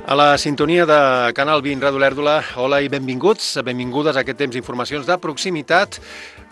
A la sintonia de Canal 20 Ràdio Olèrdola, hola i benvinguts, benvingudes a aquest temps d'informacions de proximitat,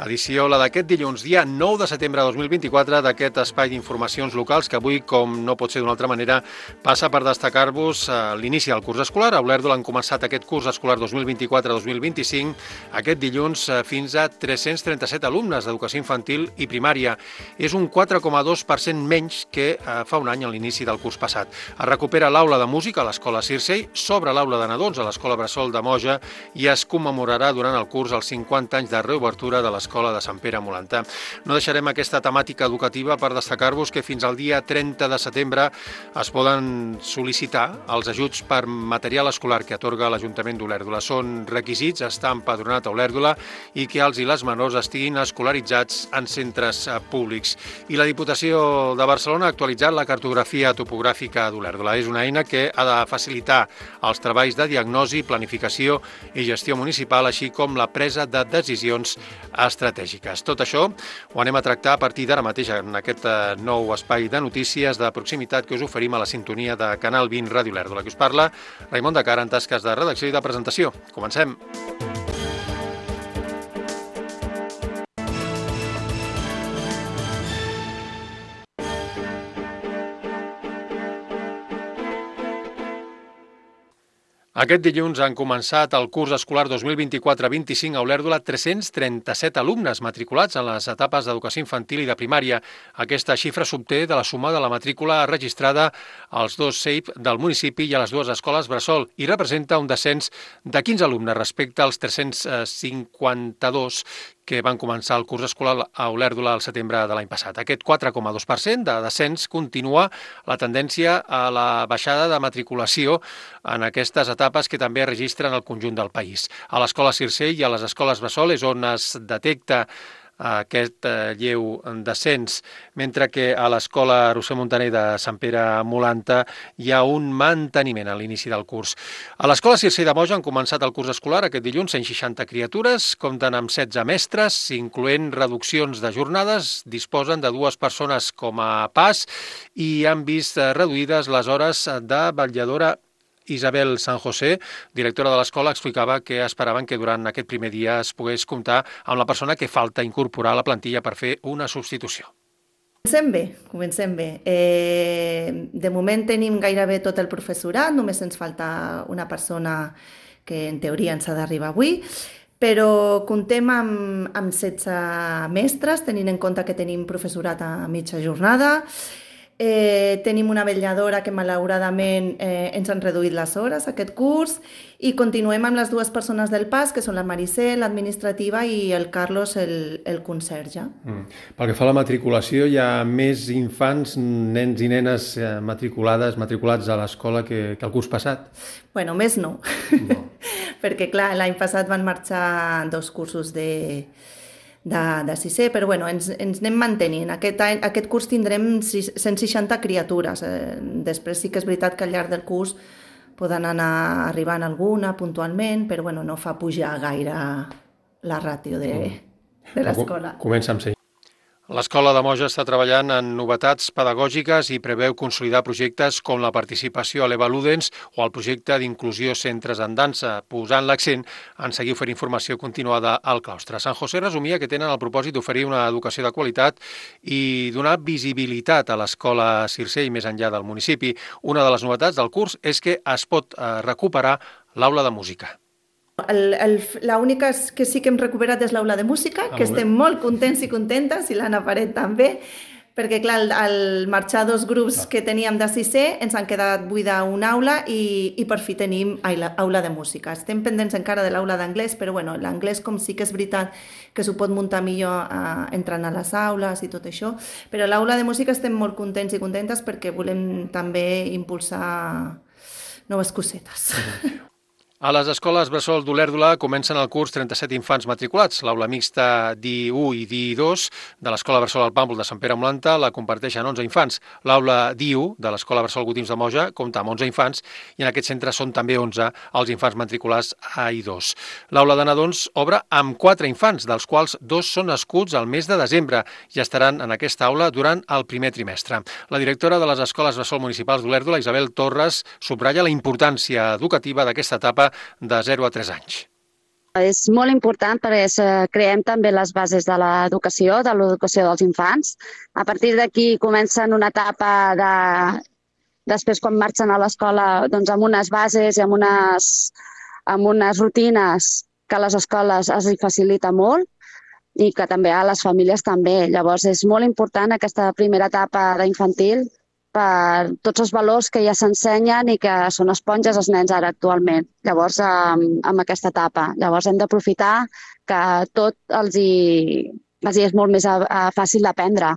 edició la d'aquest dilluns, dia 9 de setembre de 2024, d'aquest espai d'informacions locals que avui, com no pot ser d'una altra manera, passa per destacar-vos l'inici del curs escolar. A Olèrdola han començat aquest curs escolar 2024-2025, aquest dilluns fins a 337 alumnes d'educació infantil i primària. És un 4,2% menys que fa un any a l'inici del curs passat. Es recupera l'aula de música a l'Escola Circei, s'obre l'aula de nadons a l'Escola Bressol de Moja i es commemorarà durant el curs els 50 anys de reobertura de l'Escola de Sant Pere a Molantà. No deixarem aquesta temàtica educativa per destacar-vos que fins al dia 30 de setembre es poden sol·licitar els ajuts per material escolar que atorga l'Ajuntament d'Olèrdola. Són requisits estar empadronat a Olèrdola i que els i les menors estiguin escolaritzats en centres públics. I la Diputació de Barcelona ha actualitzat la cartografia topogràfica d'Olèrdola. És una eina que ha de facilitar els treballs de diagnosi, planificació i gestió municipal, així com la presa de decisions estratègiques. Tot això ho anem a tractar a partir d'ara mateix en aquest nou espai de notícies de proximitat que us oferim a la sintonia de Canal 20 Ràdio Olèrdola. Que us parla Raimon de Cara en tasques de redacció i de presentació. Comencem. Aquest dilluns han començat el curs escolar 2024-25 a Olèrdola 337 alumnes matriculats en les etapes d'educació infantil i de primària. Aquesta xifra s'obté de la suma de la matrícula registrada als dos CEIP del municipi i a les dues escoles Bressol i representa un descens de 15 alumnes respecte als 352 que van començar el curs escolar a Olèrdola al setembre de l'any passat. Aquest 4,2% de descens continua la tendència a la baixada de matriculació en aquestes etapes que també es registren al conjunt del país. A l'Escola Circei i a les escoles Bressol és on es detecta aquest lleu descens, mentre que a l'Escola Roser Montaner de Sant Pere a Molantà hi ha un manteniment a l'inici del curs. A l'Escola Circei de Moja han començat el curs escolar aquest dilluns 160 criatures, compten amb 16 mestres, incloent reduccions de jornades, disposen de 2 persones com a pas i han vist reduïdes les hores de vetlladora. Isabel San José, directora de l'escola, explicava que esperaven que durant aquest primer dia es pogués comptar amb la persona que falta incorporar a la plantilla per fer una substitució. Comencem bé. De moment tenim gairebé tot el professorat, només ens falta una persona que en teoria ens ha d'arribar avui, però comptem amb 16 mestres, tenint en compte que tenim professorat a mitja jornada. Tenim una vetlladora que malauradament ens han reduït les hores aquest curs i continuem amb les 2 persones del PAS, que són la Maricel, l'administrativa, i el Carlos, el conserge. Pel que fa a la matriculació, hi ha més infants, nens i nenes matriculats a l'escola que el curs passat? Bueno, més no. Perquè clar, l'any passat van marxar 2 cursos de sisè, però bueno, ens anem mantenint. Aquest curs tindrem 160 criatures. Després sí que és veritat que al llarg del curs poden anar arribant alguna puntualment, però bueno, no fa pujar gaire la ràtio de l'escola. Comença amb 6. L'Escola de Moja està treballant en novetats pedagògiques i preveu consolidar projectes com la participació a l'Eva Ludens o el projecte d'inclusió centres en dansa, posant l'accent en seguir oferint formació continuada al claustre. San José resumia que tenen el propòsit d'oferir una educació de qualitat i donar visibilitat a l'Escola Circei més enllà del municipi. Una de les novetats del curs és que es pot recuperar l'aula de música. L'única que sí que hem recuperat és l'aula de música, que estem molt contents i contentes, i l'Anna Paret també, perquè clar, al marxar 2 grups que teníem de sisè ens han quedat buida una aula i per fi tenim aula de música. Estem pendents encara de l'aula d'anglès, però bueno, l'anglès com sí que és veritat que s'ho pot muntar millor entrant a les aules i tot això, però l'aula de música estem molt contents i contentes perquè volem també impulsar noves cosetes. A les escoles bressol d'Olèrdola comencen el curs 37 infants matriculats. L'aula mixta d'I1 i d'I2 de l'Escola Bressol al Pàmpol de Sant Pere Molanta la comparteixen 11 infants. L'aula d'I1 de l'Escola Bressol Gotims de Moja compta amb 11 infants i en aquest centre són també 11 els infants matriculats a I2. L'aula de nadons obre amb 4 infants, dels quals 2 són nascuts al mes de desembre i estaran en aquesta aula durant el primer trimestre. La directora de les escoles bressol municipals d'Olèrdola, Isabel Torres, subratlla la importància educativa d'aquesta etapa de 0 a 3 anys. És molt important perquè creem també les bases de l'educació dels infants. A partir d'aquí comencen una etapa després quan marxen a l'escola doncs, amb unes bases i amb unes rutines que a les escoles es facilita molt i que també a les famílies també. Llavors és molt important aquesta primera etapa d'infantil per tots els valors que ja s'ensenyen i que són esponges els nens ara actualment. Llavors, amb aquesta etapa. Llavors hem d'aprofitar que tot els hi és molt més fàcil d'aprendre.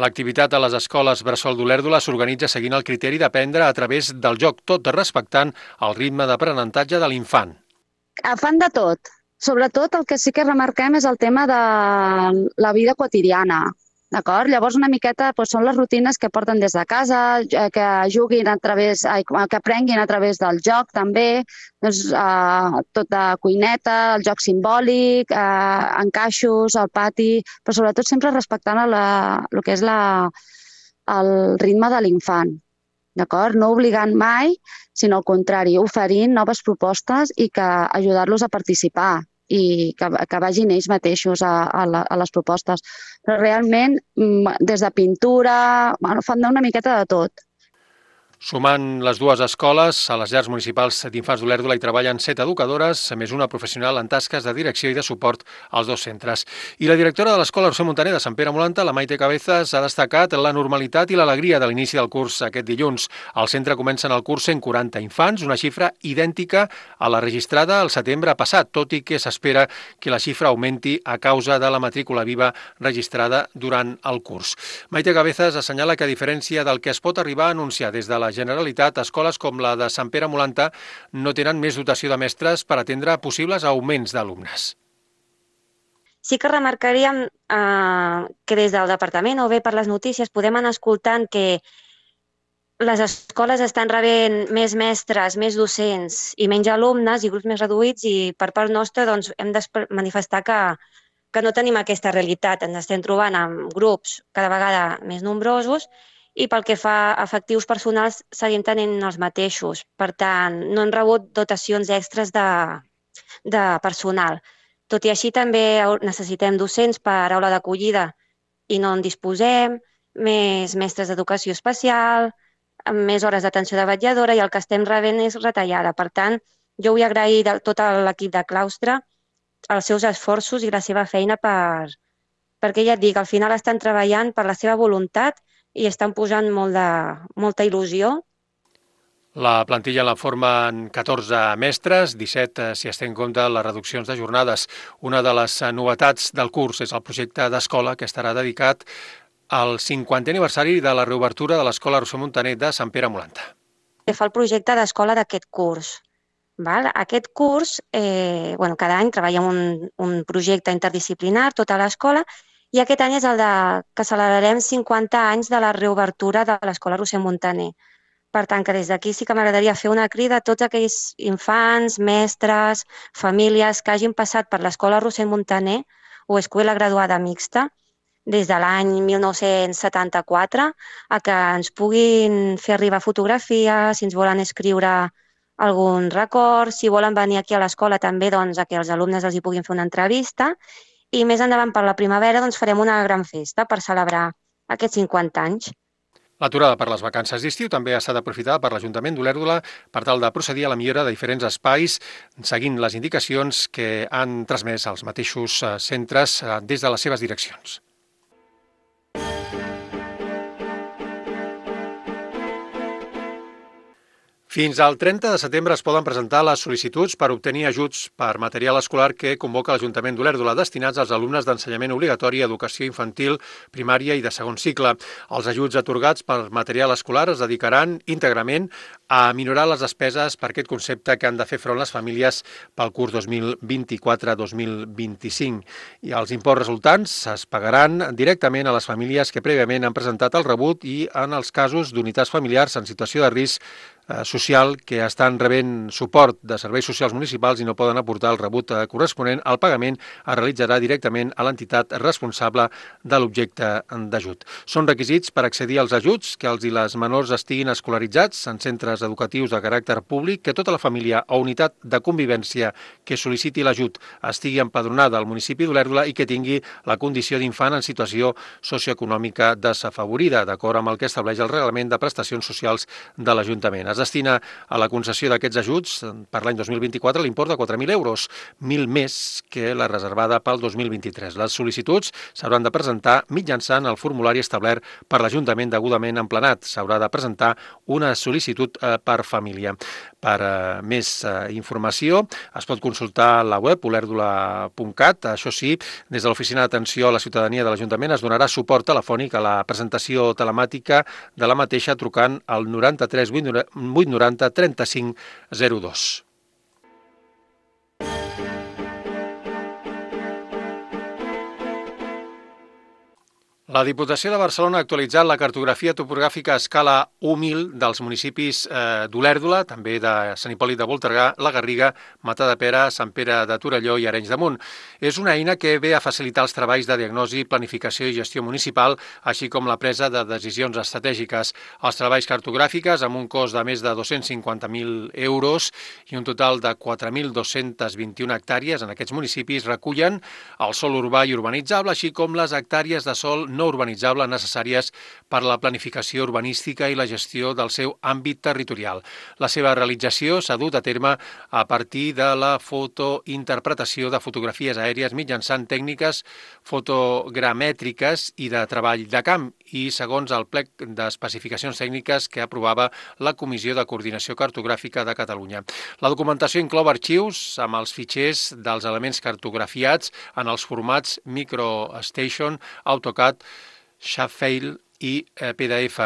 L'activitat a les escoles bressol d'Olèrdola s'organitza seguint el criteri d'aprendre a través del joc, tot respectant el ritme d'aprenentatge de l'infant. Fan de tot. Sobretot el que sí que remarquem és el tema de la vida quotidiana. D'acord? Llavors, una miqueta són les rutines que porten des de casa, que juguin que aprenguin a través del joc també, tot de cuineta, el joc simbòlic, encaixos, al pati, però sobretot sempre respectant el que és el ritme de l'infant. D'acord? No obligant mai, sinó al contrari, oferint noves propostes i que ajudar-los a participar i que vagin ells mateixos a les propostes. Però realment, des de pintura, fan una miqueta de tot. Sumant les dues escoles, a les llars municipals d'infants d'Olèrdola hi treballen 7 educadores, a més una professional en tasques de direcció i de suport als 2 centres. I la directora de l'Escola Roser Muntaner de Sant Pere Molanta, la Maite Cabezas, ha destacat la normalitat i l'alegria de l'inici del curs aquest dilluns. Al centre comencen el curs 140 infants, una xifra idèntica a la registrada el setembre passat, tot i que s'espera que la xifra augmenti a causa de la matrícula viva registrada durant el curs. Maite Cabezas assenyala que a diferència del que es pot arribar a anunciar des de la Generalitat, escoles com la de Sant Pere Molanta no tenen més dotació de mestres per atendre possibles augments d'alumnes. Sí que remarcaríem que des del departament o bé per les notícies podem anar escoltant que les escoles estan rebent més mestres, més docents i menys alumnes i grups més reduïts i per part nostra doncs, hem de manifestar que no tenim aquesta realitat. Ens estem trobant amb grups cada vegada més nombrosos i pel que fa a efectius personals seguim tenint els mateixos. Per tant, no hem rebut dotacions extres de personal. Tot i així, també necessitem docents per aula d'acollida i no en disposem, més mestres d'educació especial, amb més hores d'atenció de vetlladora i el que estem rebent és retallada. Per tant, jo vull agrair a tot l'equip de claustre els seus esforços i la seva feina perquè ja et dic, al final estan treballant per la seva voluntat i estan posant molta il·lusió. La plantilla la formen 14 mestres, 17 si es té en compte les reduccions de jornades. Una de les novetats del curs és el projecte d'escola que estarà dedicat al 50è aniversari de la reobertura de l'Escola Roser Muntaner de Sant Pere Molanta. Fa el projecte d'escola d'aquest curs. Aquest curs, cada any treballem un projecte interdisciplinar, tota l'escola, i aquest any és el que celebrarem 50 anys de la reobertura de l'Escola Roser Muntaner. Per tant, que des d'aquí sí que m'agradaria fer una crida a tots aquells infants, mestres, famílies que hagin passat per l'Escola Roser Muntaner o Escuela Graduada Mixta des de l'any 1974 a que ens puguin fer arribar fotografies, si ens volen escriure algun record, si volen venir aquí a l'escola també doncs, a que els alumnes els hi puguin fer una entrevista. I més endavant per la primavera doncs, farem una gran festa per celebrar aquests 50 anys. L'aturada per les vacances d'estiu també ha estat aprofitada per l'Ajuntament d'Olèrdola per tal de procedir a la millora de diferents espais seguint les indicacions que han transmès els mateixos centres des de les seves direccions. Fins al 30 de setembre es poden presentar les sol·licituds per obtenir ajuts per material escolar que convoca l'Ajuntament d'Olèrdola destinats als alumnes d'ensenyament obligatori, educació infantil, primària i de segon cicle. Els ajuts atorgats per material escolar es dedicaran íntegrament a minorar les despeses per aquest concepte que han de fer front les famílies pel curs 2024-2025. I els imports resultants es pagaran directament a les famílies que prèviament han presentat el rebut i en els casos d'unitats familiars en situació de risc social que estan rebent suport de serveis socials municipals i no poden aportar el rebut corresponent, el pagament es realitzarà directament a l'entitat responsable de l'objecte d'ajut. Són requisits per accedir als ajuts que els i les menors estiguin escolaritzats en centres educatius de caràcter públic, que tota la família o unitat de convivència que sol·liciti l'ajut estigui empadronada al municipi d'Olèrdola i que tingui la condició d'infant en situació socioeconòmica desafavorida, d'acord amb el que estableix el Reglament de Prestacions Socials de l'Ajuntament. Es destina a la concessió d'aquests ajuts per l'any 2024 l'import de 4.000 euros, 1.000 més que la reservada pel 2023. Les sol·licituds s'hauran de presentar mitjançant el formulari establert per l'Ajuntament degudament emplenat. S'haurà de presentar una sol·licitud per família. Per més informació es pot consultar la web olèrdola.cat. Això sí, des de l'Oficina d'Atenció a la Ciutadania de l'Ajuntament es donarà suport telefònic a la presentació telemàtica de la mateixa trucant al 93 890 35 02. La Diputació de Barcelona ha actualitzat la cartografia topogràfica a escala 1.000 dels municipis d'Olèrdola, també de Sant Hipòlit de Voltregà, la Garriga, Matadepera, Sant Pere de Torelló i Arenys de Munt. És una eina que ve a facilitar els treballs de diagnosi, planificació i gestió municipal, així com la presa de decisions estratègiques. Els treballs cartogràfics, amb un cost de més de 250.000 euros i un total de 4.221 hectàrees en aquests municipis, recullen el sòl urbà i urbanitzable, així com les hectàrees de sòl no urbanitzable necessàries per a la planificació urbanística i la gestió del seu àmbit territorial. La seva realització s'ha dut a terme a partir de la fotointerpretació de fotografies aèries mitjançant tècniques fotogramètriques i de treball de camp i segons el plec d'especificacions tècniques que aprovava la Comissió de Coordinació Cartogràfica de Catalunya. La documentació inclou arxius amb els fitxers dels elements cartografiats en els formats MicroStation, AutoCAD, Shapefile i PDF.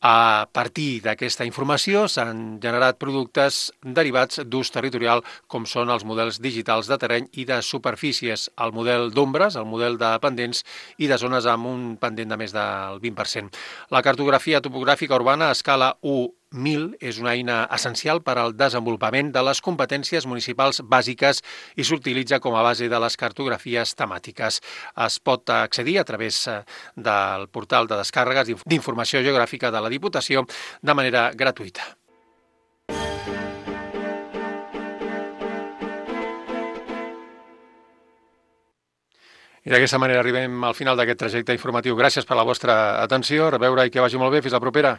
A partir d'aquesta informació s'han generat productes derivats d'ús territorial com són els models digitals de terreny i de superfícies, el model d'ombres, el model de pendents i de zones amb un pendent de més del 20%. La cartografia topogràfica urbana a escala 1.000 és una eina essencial per al desenvolupament de les competències municipals bàsiques i s'utilitza com a base de les cartografies temàtiques. Es pot accedir a través del portal de descàrregues d'informació geogràfica de la Diputació de manera gratuïta. I d'aquesta manera arribem al final d'aquest trajecte informatiu. Gràcies per la vostra atenció. A reveure i que vagi molt bé. Fins la propera.